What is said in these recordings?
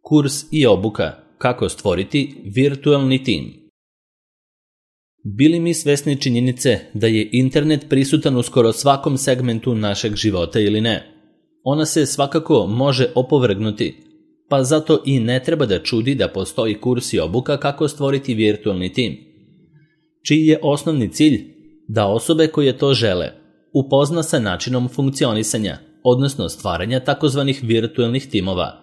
Kurs i obuka kako stvoriti virtualni tim. Bili mi svesni činjenice da je internet prisutan u skoro svakom segmentu našeg života ili ne? Ona se svakako može opovrgnuti, pa zato i ne treba da čudi da postoji kurs i obuka kako stvoriti virtualni tim, čiji je osnovni cilj da osobe koje to žele upozna sa načinom funkcionisanja, odnosno stvaranja takozvanih virtualnih timova.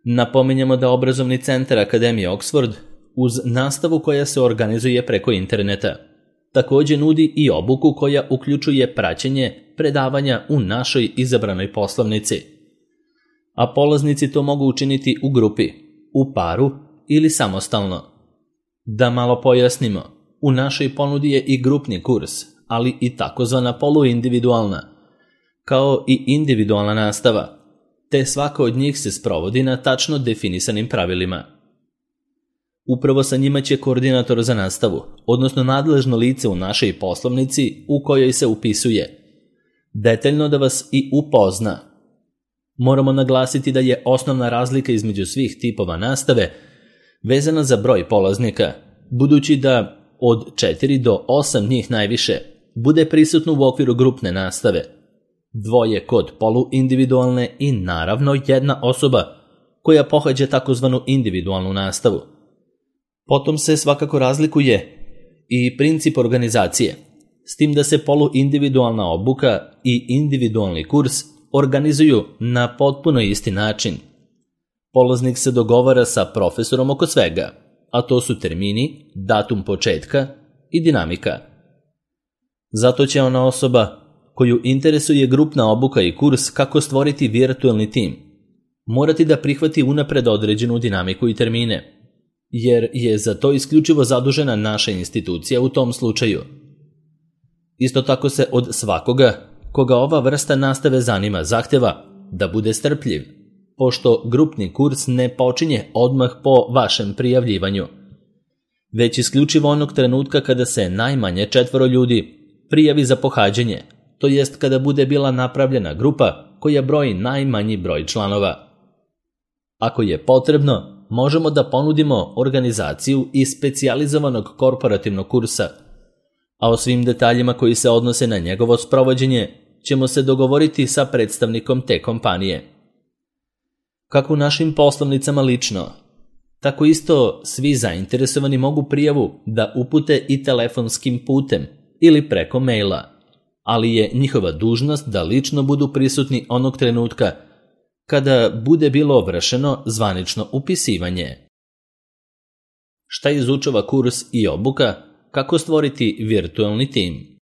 Napominjemo da obrazovni centar Akademije Oxford uz nastavu koja se organizuje preko interneta također nudi i obuku koja uključuje praćenje predavanja u našoj izabranoj poslovnici. A polaznici to mogu učiniti u grupi, u paru ili samostalno. Da malo pojasnimo, u našoj ponudi je i grupni kurs, ali i takozvana poluindividualna, kao i individualna nastava, te svaka od njih se sprovodi na tačno definisanim pravilima. Upravo sa njima će koordinator za nastavu, odnosno nadležno lice u našoj poslovnici u kojoj se upisuje, detaljno da vas i upozna. Moramo naglasiti da je osnovna razlika između svih tipova nastave vezana za broj polaznika, budući da od 4 do 8 njih najviše bude prisutno u okviru grupne nastave, 2 kod poluindividualne i naravno 1 osoba koja pohađa takozvanu individualnu nastavu. Potom se svakako razlikuje i princip organizacije, s tim da se poluindividualna obuka i individualni kurs organizuju na potpuno isti način. Polaznik se dogovara sa profesorom oko svega, a to su termini, datum početka i dinamika. Zato će ona osoba koju interesuje grupna obuka i kurs kako stvoriti virtualni tim morati da prihvati unapred određenu dinamiku i termine, jer je za to isključivo zadužena naša institucija u tom slučaju. Isto tako se od svakoga koga ova vrsta nastave zanima zahteva da bude strpljiv, pošto grupni kurs ne počinje odmah po vašem prijavljivanju, već isključivo onog trenutka kada se najmanje 4 ljudi prijavi za pohađanje, to jest kada bude bila napravljena grupa koja broji najmanji broj članova. Ako je potrebno, možemo da ponudimo organizaciju i specijalizovanog korporativnog kursa, a o svim detaljima koji se odnose na njegovo sprovođenje ćemo se dogovoriti sa predstavnikom te kompanije. Kako u našim poslovnicama lično, tako isto svi zainteresovani mogu prijavu da upute i telefonskim putem ili preko maila, ali je njihova dužnost da lično budu prisutni onog trenutka kada bude bilo vršeno zvanično upisivanje. Šta izučava kurs i obuka kako stvoriti virtualni tim?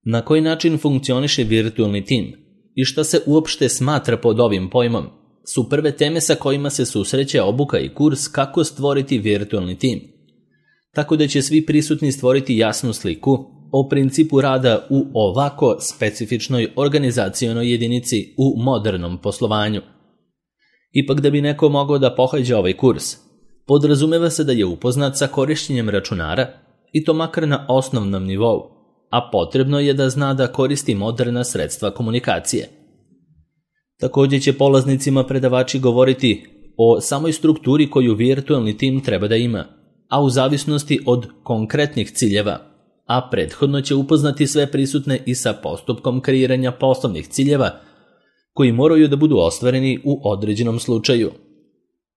Na koji način funkcioniše virtualni tim i šta se uopšte smatra pod ovim pojmom su prve teme sa kojima se susreće obuka i kurs kako stvoriti virtualni tim, tako da će svi prisutni stvoriti jasnu sliku o principu rada u ovako specifičnoj organizacionoj jedinici u modernom poslovanju. Ipak da bi neko mogao da pohađa ovaj kurs, podrazumeva se da je upoznat sa korištenjem računara i to makar na osnovnom nivou, a potrebno je da zna da koristi moderna sredstva komunikacije. Također će polaznicima predavači govoriti o samoj strukturi koju virtualni tim treba da ima, a u zavisnosti od konkretnih ciljeva, a prethodno će upoznati sve prisutne i sa postupkom kreiranja poslovnih ciljeva koji moraju da budu ostvareni u određenom slučaju.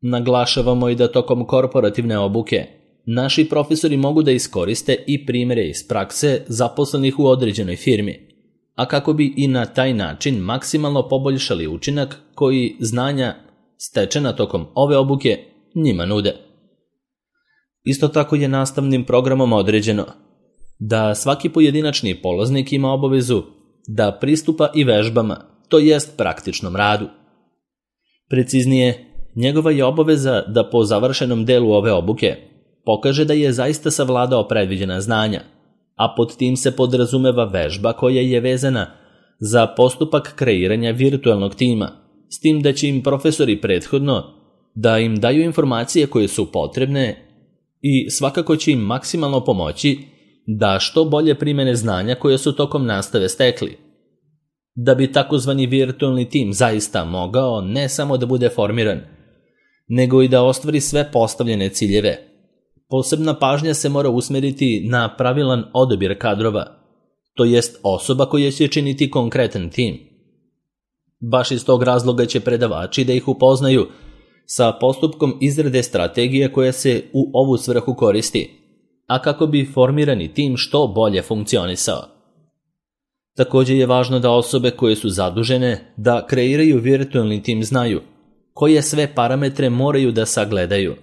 Naglašavamo i da tokom korporativne obuke naši profesori mogu da iskoriste i primjere iz prakse zaposlenih u određenoj firmi, a kako bi i na taj način maksimalno poboljšali učinak koji znanja stečena tokom ove obuke njima nude. Isto tako je nastavnim programom određeno da svaki pojedinačni polaznik ima obavezu da pristupa i vežbama, to jest praktičnom radu. Preciznije, njegova je obaveza da po završenom delu ove obuke pokaže da je zaista savladao predviđena znanja, a pod tim se podrazumeva vežba koja je vezana za postupak kreiranja virtualnog tima, s tim da će im profesori prethodno da im daju informacije koje su potrebne i svakako će im maksimalno pomoći da što bolje primene znanja koje su tokom nastave stekli. Da bi takozvani virtualni tim zaista mogao ne samo da bude formiran, nego i da ostvari sve postavljene ciljeve, posebna pažnja se mora usmeriti na pravilan odabir kadrova, to jest osoba koja će činiti konkretan tim. Baš iz tog razloga će predavači da ih upoznaju sa postupkom izrade strategije koja se u ovu svrhu koristi, a kako bi formirani tim što bolje funkcionisao. Također je važno da osobe koje su zadužene da kreiraju virtualni tim znaju koje sve parametre moraju da sagledaju,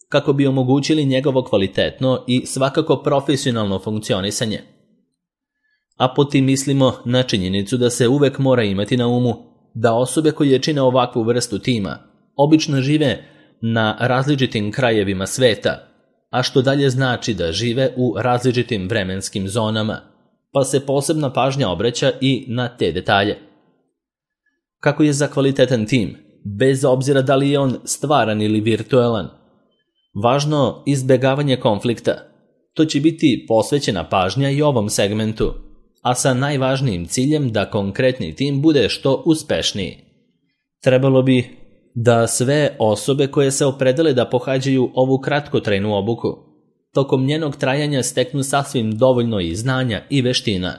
kako bi omogućili njegovo kvalitetno i svakako profesionalno funkcionisanje. A po tim mislimo na činjenicu da se uvek mora imati na umu da osobe koje čine ovakvu vrstu tima obično žive na različitim krajevima sveta, a što dalje znači da žive u različitim vremenskim zonama, pa se posebna pažnja obraća i na te detalje. Kako je za kvalitetan tim, bez obzira da li je on stvaran ili virtualan, važno izbjegavanje konflikta, to će biti posvećena pažnja i ovom segmentu, a sa najvažnijim ciljem da konkretni tim bude što uspešniji. Trebalo bi da sve osobe koje se opredele da pohađaju ovu kratkotrajnu obuku, tokom njenog trajanja steknu sasvim dovoljno i znanja i veština,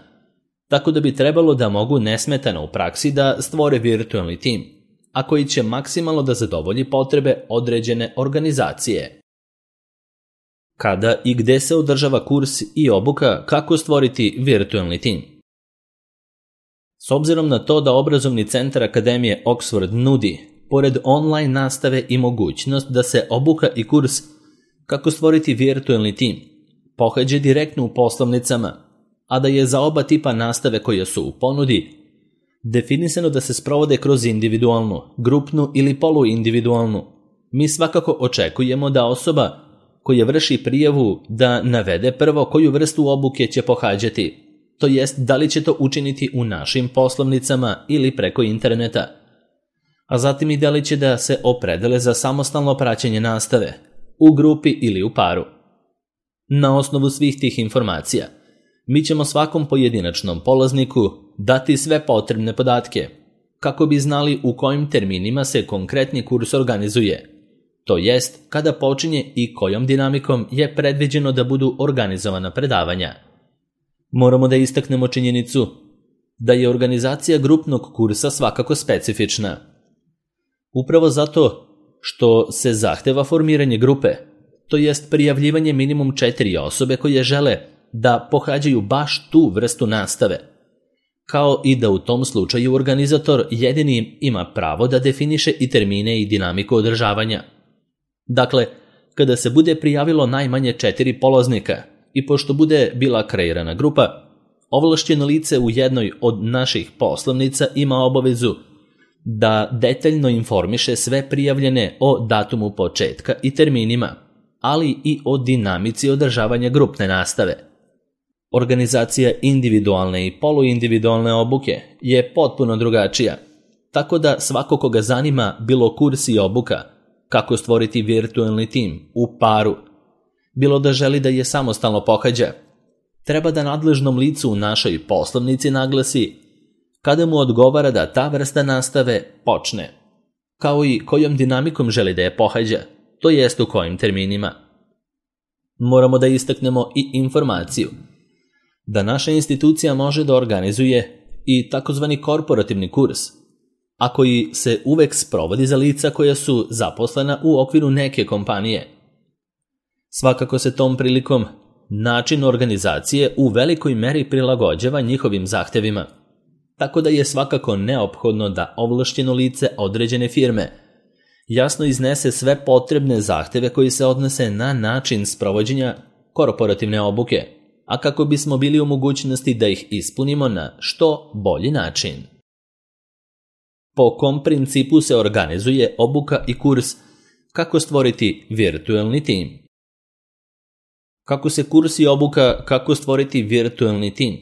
tako da bi trebalo da mogu nesmetano u praksi da stvore virtualni tim, a koji će maksimalno da zadovolji potrebe određene organizacije. Kada i gde se održava kurs i obuka kako stvoriti virtualni tim? S obzirom na to da obrazovni centar Akademije Oxford nudi, pored online nastave i mogućnost da se obuka i kurs kako stvoriti virtualni tim pohađa direktno u poslovnicama, a da je za oba tipa nastave koje su u ponudi definisano da se sprovode kroz individualnu, grupnu ili poluindividualnu, mi svakako očekujemo da osoba koja vrši prijavu da navede prvo koju vrstu obuke će pohađati, to jest da li će to učiniti u našim poslovnicama ili preko interneta, a zatim i da li će da se opredele za samostalno praćenje nastave, u grupi ili u paru. Na osnovu svih tih informacija, mi ćemo svakom pojedinačnom polazniku dati sve potrebne podatke, kako bi znali u kojim terminima se konkretni kurs organizuje, to jest kada počinje i kojom dinamikom je predviđeno da budu organizovana predavanja. Moramo da istaknemo činjenicu da je organizacija grupnog kursa svakako specifična. Upravo zato što se zahteva formiranje grupe, to jest prijavljivanje minimum 4 osobe koje žele da pohađaju baš tu vrstu nastave, kao i da u tom slučaju organizator jedini ima pravo da definiše i termine i dinamiku održavanja. Dakle, kada se bude prijavilo najmanje 4 polaznika i pošto bude bila kreirana grupa, ovlašćeno lice u jednoj od naših poslovnica ima obavezu da detaljno informiše sve prijavljene o datumu početka i terminima, ali i o dinamici održavanja grupne nastave. Organizacija individualne i poluindividualne obuke je potpuno drugačija, tako da svako koga zanima bilo kurs i obuka, kako stvoriti virtualni tim u paru, bilo da želi da je samostalno pohađa, treba da nadležnom licu u našoj poslovnici naglasi kada mu odgovara da ta vrsta nastave počne, kao i kojom dinamikom želi da je pohađa, to jest u kojim terminima. Moramo da istaknemo i informaciju da naša institucija može da organizuje i takozvani korporativni kurs, a koji se uvek sprovodi za lica koja su zaposlena u okviru neke kompanije. Svakako se tom prilikom način organizacije u velikoj meri prilagođava njihovim zahtevima, tako da je svakako neophodno da ovlašćeno lice određene firme jasno iznese sve potrebne zahteve koji se odnose na način sprovođenja korporativne obuke, a kako bismo bili u mogućnosti da ih ispunimo na što bolji način. Po kom principu se organizuje obuka i kurs kako stvoriti virtualni tim? Kako se kurs i obuka kako stvoriti virtualni tim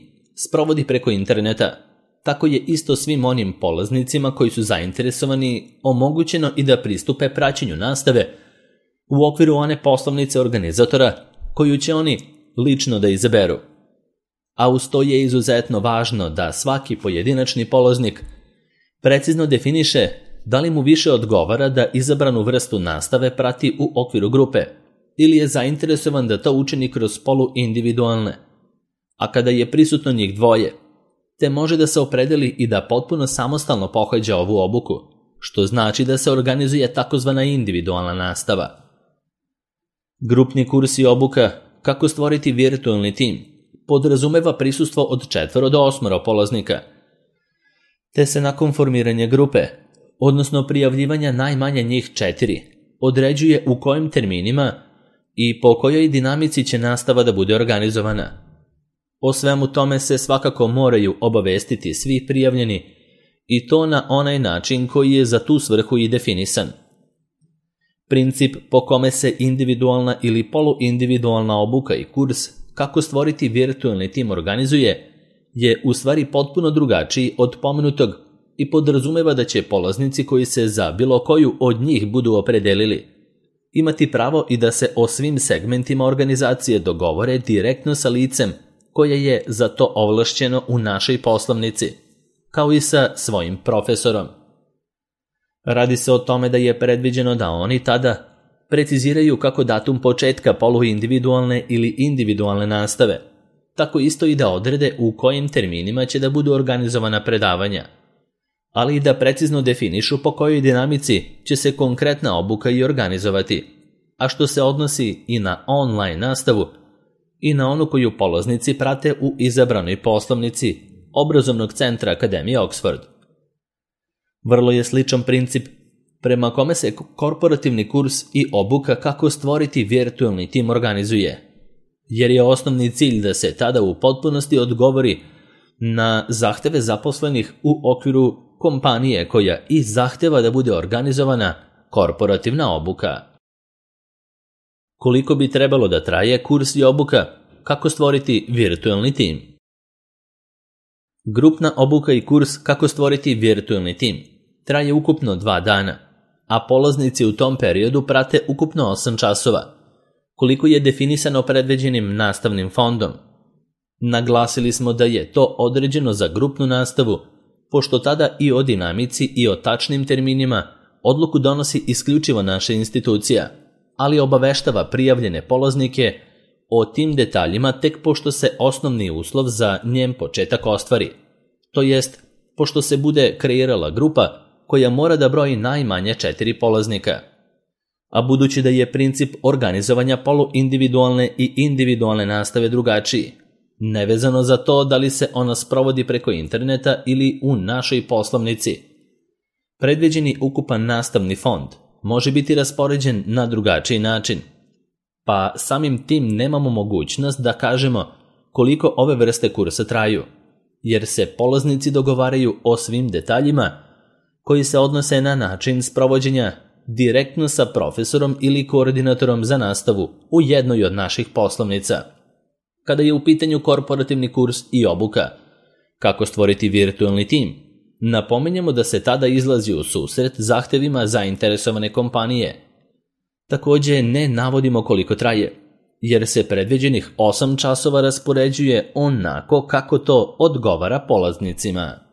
sprovodi preko interneta, tako je isto svim onim polaznicima koji su zainteresovani omogućeno i da pristupe praćenju nastave u okviru one poslovnice organizatora koju će oni lično da izaberu. a uz to je izuzetno važno da svaki pojedinačni polaznik precizno definiše da li mu više odgovara da izabranu vrstu nastave prati u okviru grupe ili je zainteresovan da to učini kroz poluindividualne, a kada je prisutno njih dvoje, te može da se opredeli i da potpuno samostalno pohađa ovu obuku, što znači da se organizuje takozvana individualna nastava. Grupni kurs i obuka kako stvoriti virtualni tim podrazumeva prisustvo od 4 do 8 polaznika, te se nakon formiranja grupe, odnosno prijavljivanja najmanje njih 4, određuje u kojim terminima i po kojoj dinamici će nastava da bude organizovana. O svemu tome se svakako moraju obavestiti svi prijavljeni i to na onaj način koji je za tu svrhu i definisan. Princip po kome se individualna ili poluindividualna obuka i kurs kako stvoriti virtualni tim organizuje je u stvari potpuno drugačiji od pomenutog i podrazumeva da će polaznici koji se za bilo koju od njih budu opredelili imati pravo i da se o svim segmentima organizacije dogovore direktno sa licem koje je za to ovlašćeno u našoj poslovnici, kao i sa svojim profesorom. Radi se o tome da je predviđeno da oni tada preciziraju kako datum početka poluindividualne ili individualne nastave, tako isto i da odrede u kojim terminima će da budu organizovana predavanja, ali i da precizno definišu po kojoj dinamici će se konkretna obuka i organizovati, a što se odnosi i na online nastavu i na onu koju polaznici prate u izabranoj poslovnici Obrazovnog centra Akademije Oxford. Vrlo je sličan princip prema kome se korporativni kurs i obuka kako stvoriti virtualni tim organizuje, jer je osnovni cilj da se tada u potpunosti odgovori na zahteve zaposlenih u okviru kompanije koja i zahteva da bude organizovana korporativna obuka. Koliko bi trebalo da traje kurs i obuka kako stvoriti virtualni tim? Grupna obuka i kurs kako stvoriti virtualni tim traje ukupno 2 dana, a polaznici u tom periodu prate ukupno 8 časova, koliko je definisano predviđenim nastavnim fondom. Naglasili smo da je to određeno za grupnu nastavu, pošto tada i o dinamici i o tačnim terminima odluku donosi isključivo naša institucija, ali obaveštava prijavljene polaznike o tim detaljima tek pošto se osnovni uslov za njen početak ostvari, to jest pošto se bude kreirala grupa koja mora da broji najmanje 4 polaznika. A budući da je princip organizovanja poluindividualne i individualne nastave drugačiji, nevezano za to da li se ona sprovodi preko interneta ili u našoj poslovnici, predviđeni ukupan nastavni fond može biti raspoređen na drugačiji način, pa samim tim nemamo mogućnost da kažemo koliko ove vrste kursa traju, jer se polaznici dogovaraju o svim detaljima koji se odnose na način sprovođenja direktno sa profesorom ili koordinatorom za nastavu u jednoj od naših poslovnica. Kada je u pitanju korporativni kurs i obuka, kako stvoriti virtualni tim, napominjemo da se tada izlazi u susret zahtevima zainteresovane kompanije. Također ne navodimo koliko traje, jer se predviđenih 8 časova raspoređuje onako kako to odgovara polaznicima.